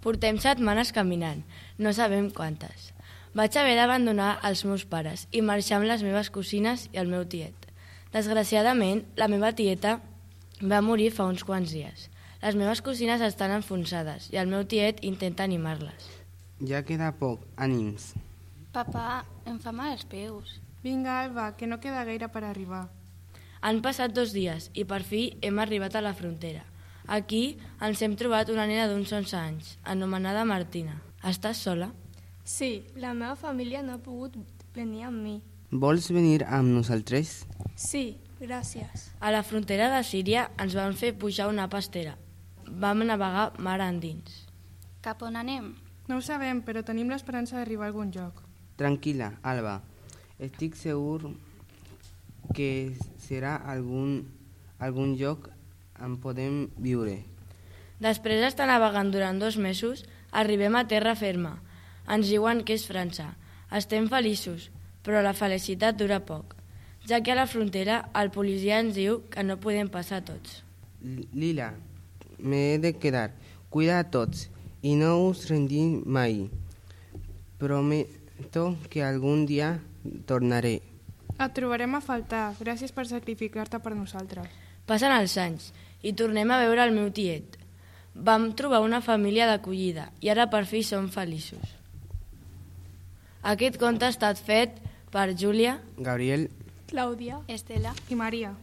Portem setmanes caminant, no sabem quantes. Vaig haver d'abandonar els meus pares i marxar amb les meves cosines i el meu tiet. Desgraciadament, la meva tieta va morir fa uns quants dies. Les meves cosines estan enfonsades i el meu tiet intenta animar-les. Ja queda poc, ànims. Papà, em fa mal els peus. Vinga, Alba, que no queda gaire per arribar. Han passat 2 dies i per fi hem arribat a la frontera. Aquí ens hem trobat una nena d'uns 11 anys, anomenada Martina. Estàs sola? Sí, la meva família no ha pogut venir amb mi. Vols venir amb nosaltres? Sí, gràcies. A la frontera de Síria ens van fer pujar una pastera. Vam navegar mar endins. Cap on anem? No ho sabem, però tenim l'esperança d'arribar a algun lloc. Tranquil·la, Alba. Estic segur que serà algun lloc on podem viure. Després d'estar navegant durant 2 mesos, arribem a terra ferma. Ens diuen que és França. Estem feliços, però la felicitat dura poc, ja que a la frontera el policia ens diu que no podem passar tots. Lila, m'he de quedar. Cuida a tots i no us rendim mai. Prometo que algun dia tornaré. Et trobarem a faltar. Gràcies per sacrificar-te per nosaltres. Passen els anys i tornem a veure el meu tiet. Vam trobar una família d'acollida i ara per fi som feliços. Aquest conte ha estat fet per Júlia, Gabriel, Clàudia, Estela. I Maria.